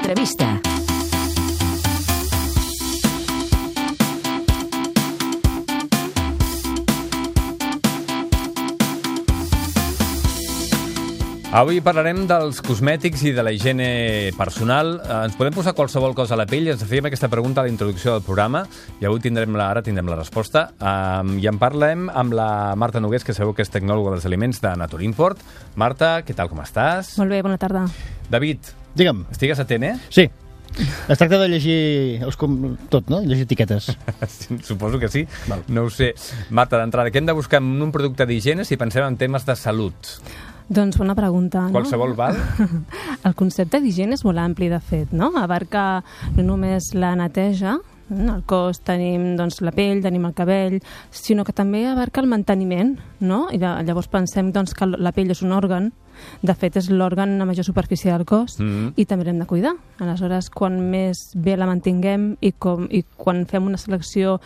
L'entrevista. Avui parlarem dels cosmètics i de la higiene personal. Ens podem posar qualsevol cosa a la pell? Ens fèiem aquesta pregunta a la introducció del programa i avui tindrem la resposta. I en parlem amb la Marta Nogués, que sabeu que és tecnòloga dels aliments de Naturimport. Marta, què tal, com estàs? Molt bé, bona tarda. David, digue'm. Estigues atent, Sí. Es tracta de llegir tot, no? Llegir etiquetes. Suposo que sí. Val. No ho sé. Marta, d'entrada, què hem de buscar en un producte d'higiene si pensem en temes de salut? Doncs bona pregunta, no? Qualsevol val? El concepte d'higiene és molt ampli, de fet, no? Abarca no només la neteja, al cos tenim doncs, la pell, tenim el cabell, sinó que també abarca el manteniment, no? I llavors pensem doncs, que la pell és un òrgan, de fet és l'òrgan a major superfície del cos i també l'hem de cuidar. Aleshores, quan més bé la mantinguem i quan fem una selecció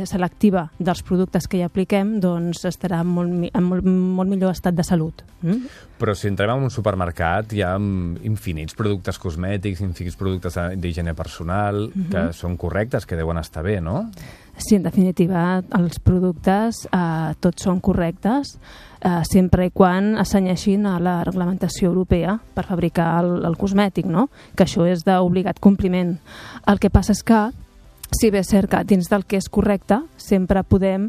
selectiva dels productes que hi apliquem, doncs estarà en molt millor estat de salut. Però si entrem en un supermercat hi ha infinits productes cosmètics, infinits productes d'higiene personal que són correctes, que deuen estar bé, no? Sí, en definitiva, els productes tots són correctes sempre i quan assenyeixin a la reglamentació europea per fabricar el cosmètic, no? Que això és d'obligat compliment. El que passa és que, si bé és cert que dins del que és correcte, sempre podem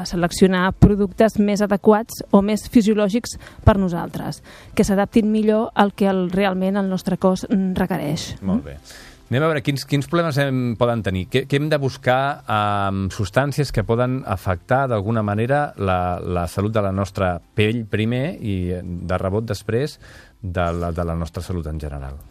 seleccionar productes més adequats o més fisiològics per nosaltres, que s'adaptin millor al que realment el nostre cos requereix. Molt bé. Anem a veure quins problemes poden tenir. Què hem de buscar amb substàncies que poden afectar d'alguna manera la salut de la nostra pell primer i de rebot després de la nostra salut en general?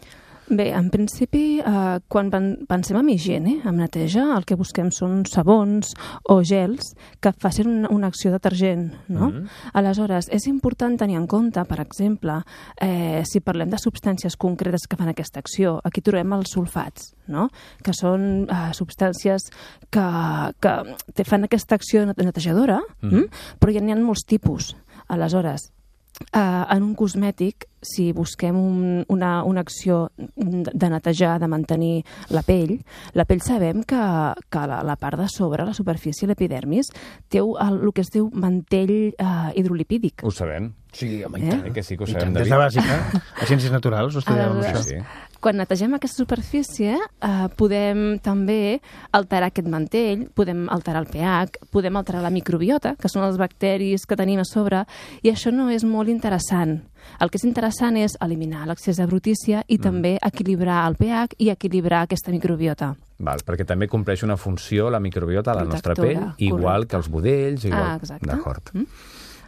Bé, en principi, quan pensem en higiene, en neteja, el que busquem són sabons o gels que facin una acció detergent, no? Aleshores, és important tenir en compte, per exemple, si parlem de substàncies concretes que fan aquesta acció, aquí trobem els sulfats, no? Que són substàncies que fan aquesta acció netejadora, però hi ha molts tipus. Aleshores, en un cosmètic, si busquem una acció de netejar, de mantenir la pell sabem que la part de sobre, la superfície, l'epidermis, té el que es diu mantell hidrolipídic. Ho sabem. Sí, home, i tant. Que sí que ho I sabem, tant. Des de bàsica, a Ciències Naturals, ho estudiàvem, això. Sí. Quan netegem aquesta superfície, podem també alterar aquest mantell, podem alterar el pH, podem alterar la microbiota, que són els bacteris que tenim a sobre, i això no és molt interessant. El que és interessant és eliminar l'excés de brutícia i també equilibrar el pH i equilibrar aquesta microbiota. Val, perquè també compleix una funció la microbiota a la nostra pell, igual que els budells, igual. Exacte. D'acord.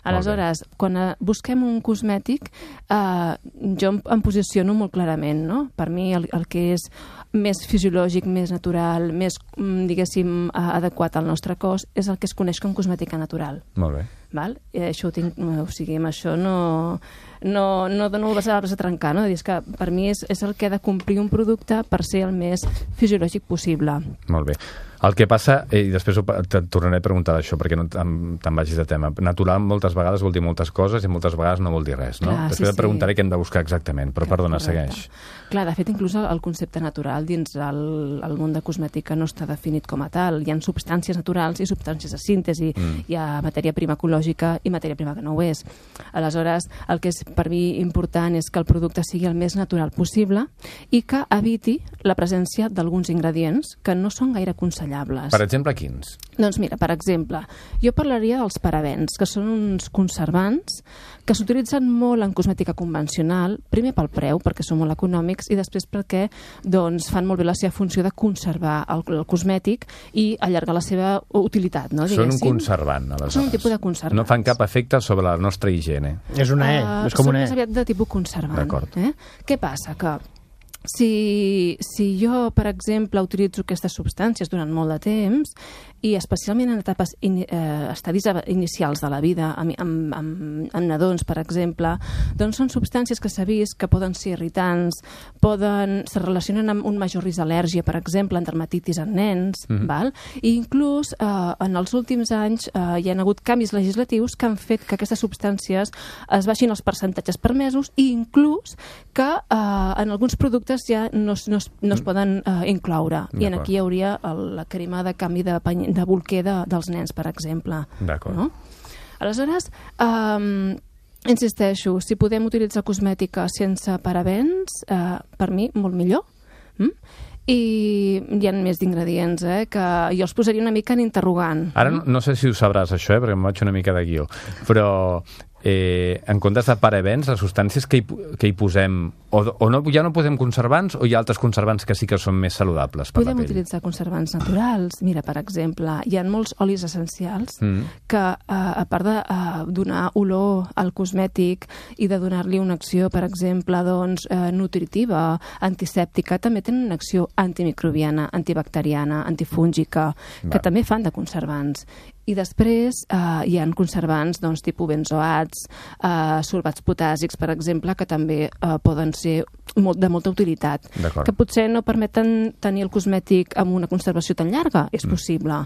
Aleshores, quan busquem un cosmètic, jo em posiciono molt clarament, no? Per mi el que és més fisiològic, més natural, més, diguéssim, adequat al nostre cos, és el que es coneix com cosmètica natural. Molt bé. Val? I això ho tinc, o sigui, amb això no dono les arbres a trencar, no? És que per mi és el que ha de complir un producte per ser el més fisiològic possible. Molt bé. El que passa, i després et tornaré a preguntar d'això perquè no te'n vagis de tema, natural moltes vegades vol dir moltes coses i moltes vegades no vol dir res, no? Clar, després et preguntaré què hem de buscar exactament, però perdona, segueix. Clar, de fet, inclús el concepte natural dins el món de cosmètica no està definit com a tal. Hi ha substàncies naturals i substàncies de síntesi. Hi ha matèria prima ecològica i matèria prima que no ho és. Aleshores, el que és per mi important és que el producte sigui el més natural possible i que eviti la presència d'alguns ingredients que no són gaire aconsellables. Per exemple, quins? Doncs mira, per exemple, jo parlaria dels parabens, que són uns conservants que s'utilitzen molt en cosmètica convencional, primer pel preu, perquè són molt econòmics, i després perquè fan molt bé la seva funció de conservar el cosmètic i allargar la seva utilitat, no? Són un conservant, aleshores. Són un tipus de conservant. No fan cap efecte sobre la nostra higiene. És una és com una Són més aviat de tipus conservant. D'acord. Què passa? Que si jo, per exemple, utilitzo aquestes substàncies durant molt de temps, i especialment en etapes estadis inicials de la vida, amb nadons, per exemple, doncs són substàncies que s'ha vist que poden ser irritants, se relacionen amb un major risc d'al·lèrgia, per exemple, en dermatitis en nens, val? I inclús en els últims anys hi ha hagut canvis legislatius que han fet que aquestes substàncies es baixin els percentatges permesos i inclús que en alguns productes ja no es poden incloure. I aquí hi hauria la crema de canvi de bolquer dels nens, per exemple. D'acord. No? Aleshores, insisteixo, si podem utilitzar cosmètica sense parabens, per mi, molt millor. I hi ha més d'ingredients, que jo els posaria una mica en interrogant. Ara no sé si ho sabràs, això, perquè em vaig una mica de guió, però en comptes de parabens, les substàncies que hi posem, ja no posem conservants o hi ha altres conservants que sí que són més saludables per la pell? Podem utilitzar conservants naturals. Mira, per exemple, hi ha molts olis essencials que, a part de donar olor al cosmètic i de donar-li una acció, per exemple, nutritiva, antisèptica, també tenen una acció antimicrobiana, antibacteriana, antifúngica, que també fan de conservants. I després hi ha conservants tipus benzoats, sorbats potàssics, per exemple, que també poden ser de molta utilitat. Que potser no permeten tenir el cosmètic amb una conservació tan llarga, és possible,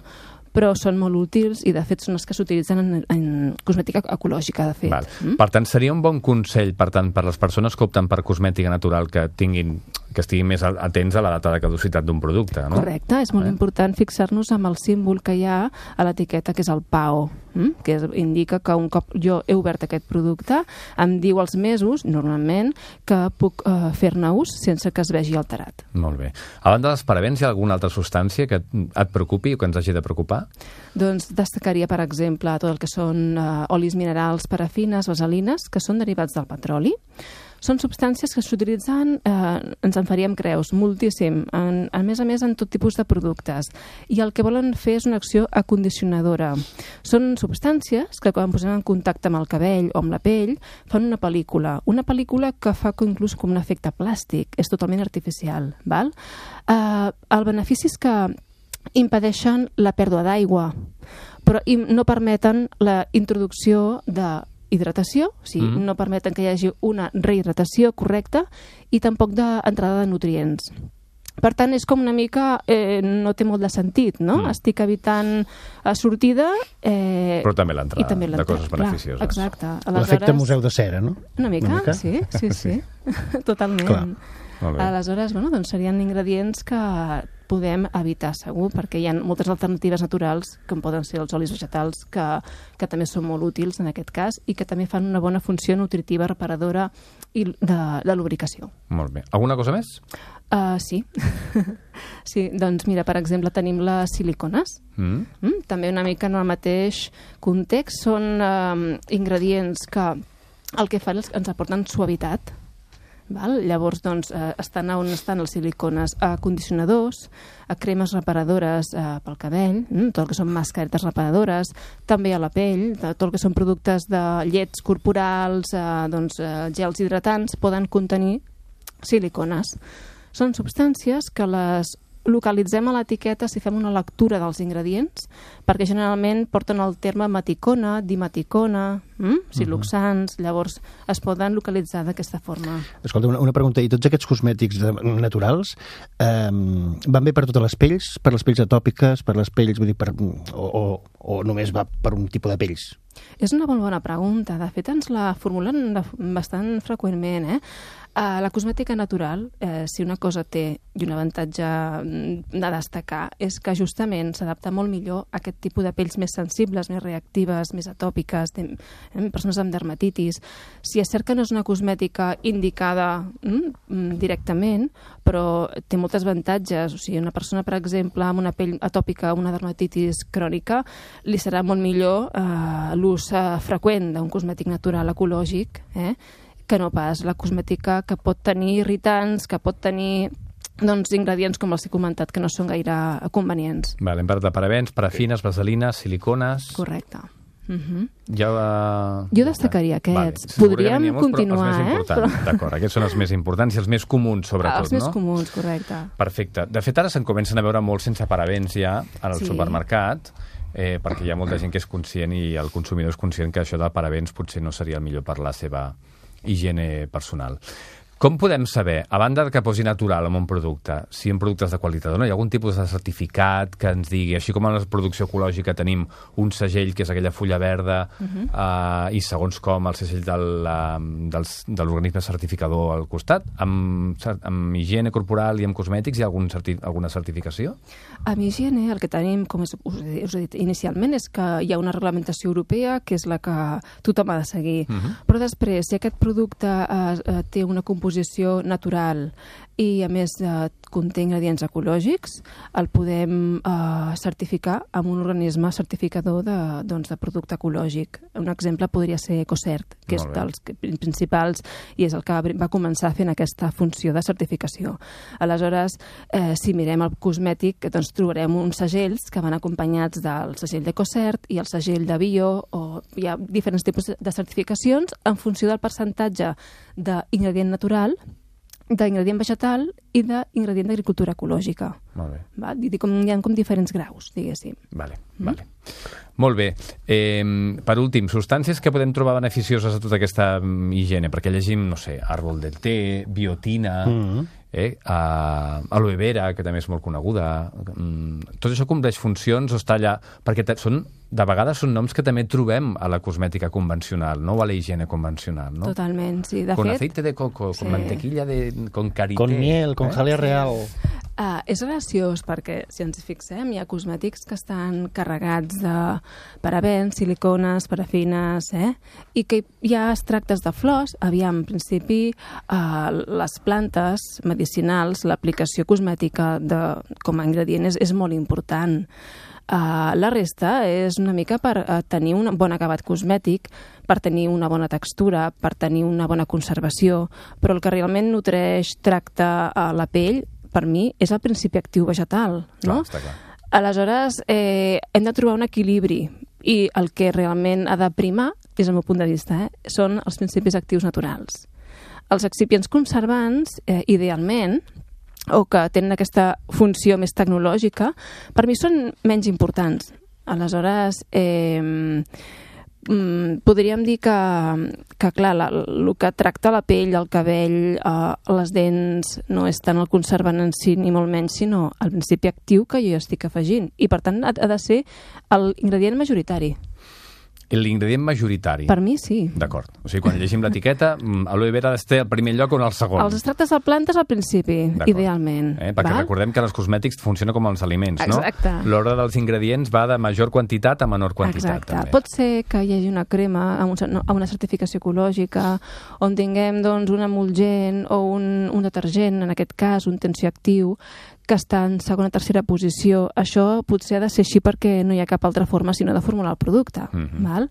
però són molt útils i, de fet, són els que s'utilitzen en cosmètica ecològica, de fet. Per tant, seria un bon consell per les persones que opten per cosmètica natural que estiguin més atents a la data de caducitat d'un producte, no? Correcte, és molt important fixar-nos amb el símbol que hi ha a l'etiqueta, que és el PAO, que indica que un cop jo he obert aquest producte, em diu els mesos, normalment, que puc fer-ne ús sense que es vegi alterat. Molt bé. A banda dels parabens, hi ha alguna altra substància que et preocupi o que ens hagi de preocupar? Doncs destacaria, per exemple, tot el que són olis minerals, parafines, vaselines, que són derivats del petroli. Són substàncies que s'utilitzen, ens en faríem creus, moltíssim, a més en tot tipus de productes. I el que volen fer és una acció acondicionadora. Són substàncies que, quan posem en contacte amb el cabell o amb la pell, fan una pel·lícula que fa inclús com un efecte plàstic, és totalment artificial. Val? El benefici és que impedeixen la pèrdua d'aigua, però no permeten la introducció d'hidratació, o sigui, no permeten que hi hagi una rehidratació correcta i tampoc d'entrada de nutrients. Per tant, és com una mica... no té molt de sentit, no? Estic evitant sortida... però també l'entrada de coses beneficioses. Exacte. L'efecte museu de cera, no? Una mica? Sí. Totalment. Clar. Aleshores, doncs serien ingredients que podem evitar segur, perquè hi ha moltes alternatives naturals, com poden ser els olis vegetals, que també són molt útils en aquest cas i que també fan una bona funció nutritiva, reparadora i de lubricació. Molt bé. Alguna cosa més? Sí. Sí, doncs mira, per exemple, tenim les silicones. També una mica en el mateix context. Són ingredients que el que fan és que ens aporten suavitat. Llavors, estan on estan els silicones? A condicionadors, a cremes reparadores pel cabell, tot el que són mascaretes reparadores, també a la pell, tot el que són productes de llets corporals, gels hidratants, poden contenir silicones. Són substàncies que les localitzem a l'etiqueta si fem una lectura dels ingredients, perquè generalment porten el terme meticona, dimeticona, siloxans, llavors es poden localitzar d'aquesta forma. Escolta, una pregunta, i tots aquests cosmètics naturals van bé per totes les pells? Per les pells atòpiques, per les pells, vull dir, o només va per un tipus de pells? És una molt bona pregunta. De fet, ens la formulen bastant freqüentment, La cosmètica natural, si una cosa té i un avantatge de destacar, és que justament s'adapta molt millor a aquest tipus de pells més sensibles, més reactives, més atòpiques, persones amb dermatitis. Si és cert que no és una cosmètica indicada directament, però té molts avantatges. O sigui, una persona, per exemple, amb una pell atòpica, una dermatitis crònica, li serà molt millor l'ús freqüent d'un cosmètic natural ecològic, que no pas la cosmètica que pot tenir irritants, que pot tenir ingredients com els que he comentat, que no són gaire convenients. Hem parlat de parabens, parafines, vaselines, silicones... Correcte. Jo destacaria aquests. Vale. Podríem continuar, D'acord, aquests són els més importants i els més comuns, sobretot, Els més comuns, correcte. Perfecte. De fet, ara se'n comencen a veure molts sense parabens ja al supermercat, perquè hi ha molta gent que és conscient i el consumidor és conscient que això de parabens potser no seria el millor per la seva higiene personal. Com podem saber, a banda que posi natural en un producte, si en productes de qualitat o no, hi ha algun tipus de certificat que ens digui, així com en la producció ecològica tenim un segell que és aquella fulla verda i segons com el segell de l'organisme certificador al costat, amb higiene corporal i amb cosmètics hi ha alguna certificació? Amb higiene el que tenim, com us he dit inicialment, és que hi ha una reglamentació europea que és la que tothom ha de seguir. Però després, si aquest producte té una composició natural i a més conté ingredients ecològics, el podem certificar amb un organisme certificador de producte ecològic. Un exemple podria ser EcoCert, que és dels principals i és el que va començar fent aquesta funció de certificació. Aleshores, si mirem el cosmètic, doncs trobarem uns segells que van acompanyats del segell d'EcoCert i el segell de Bio, o hi ha diferents tipus de certificacions en funció del percentatge d'ingredient natural, d'ingredient vegetal i d'ingredient d'agricultura ecològica. Molt bé. Hi ha com diferents graus, diguéssim. Vale. Molt bé. Per últim, substàncies que podem trobar beneficioses a tota aquesta higiene, perquè llegim, no sé, àrbol del té, biotina, aloe vera, que també és molt coneguda. Tot això compleix funcions o està allà? Perquè de vegades són noms que també trobem a la cosmètica convencional, no? O a la higiene convencional, no? Totalment, sí. De con fet, aceite de coco, con mantequilla, con karité... Con miel, con jalea real... És graciós perquè, si ens fixem, hi ha cosmètics que estan carregats de parabens, silicones, parafines, i que hi ha extractes de flors. Aviam, en principi, les plantes medicinals, l'aplicació cosmètica com a ingredient és molt important. La resta és una mica per tenir un bon acabat cosmètic, per tenir una bona textura, per tenir una bona conservació, però el que realment nutreix, tracta la pell, per mi, és el principi actiu vegetal, no? Està clar. Aleshores, hem de trobar un equilibri i el que realment ha de primar, des del meu punt de vista, són els principis actius naturals. Els excipients conservants, idealment, o que tenen aquesta funció més tecnològica, per mi són menys importants. Aleshores, podríem dir que clar, el que tracta la pell, el cabell, les dents, no és tant el conservant en si, ni molt menys, sinó el principi actiu que jo estic afegint. I, per tant, ha de ser l'ingredient majoritari. L'ingredient majoritari. Per mi, sí. D'acord. O sigui, quan llegim l'etiqueta, aloe vera ha d'estar al primer lloc o en el segon. Els extractes de plantes al principi, idealment. Perquè recordem que els cosmètics funciona com els aliments, no? Exacte. L'ordre dels ingredients va de major quantitat a menor quantitat. Exacte. També. Pot ser que hi hagi una crema amb una certificació ecològica, on tinguem un emulgent o un detergent, en aquest cas, un tensioactiu, que està en segona o tercera posició. Això potser ha de ser així perquè no hi ha cap altra forma sinó de formular el producte. Val?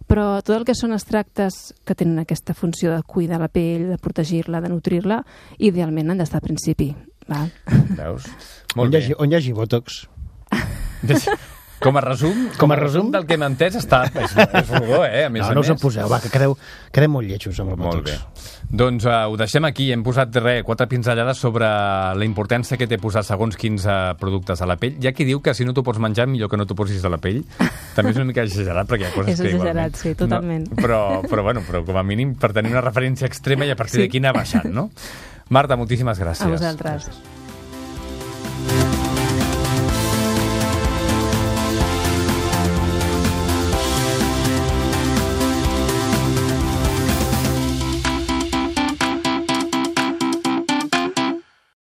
Però tot el que són extractes que tenen aquesta funció de cuidar la pell, de protegir-la, de nutrir-la, idealment han d'estar al principi. Val? Veus? Molt bé. On hi hagi Botox? Com a resum del que hem entès és rodó, a més a més. No us en poseu, va, que quedem molt lletjos amb el Botox. Molt bé. Doncs ho deixem aquí. Hem posat 4 pinzellades sobre la importància que té posar segons quins productes a la pell. Hi ha qui diu que si no t'ho pots menjar, millor que no t'ho posis a la pell. També és una mica exagerat, perquè hi ha coses que igualment... És exagerat, sí, totalment. No, però com a mínim per tenir una referència extrema i a partir d'aquí anar baixant, no? Marta, moltíssimes gràcies. A vosaltres.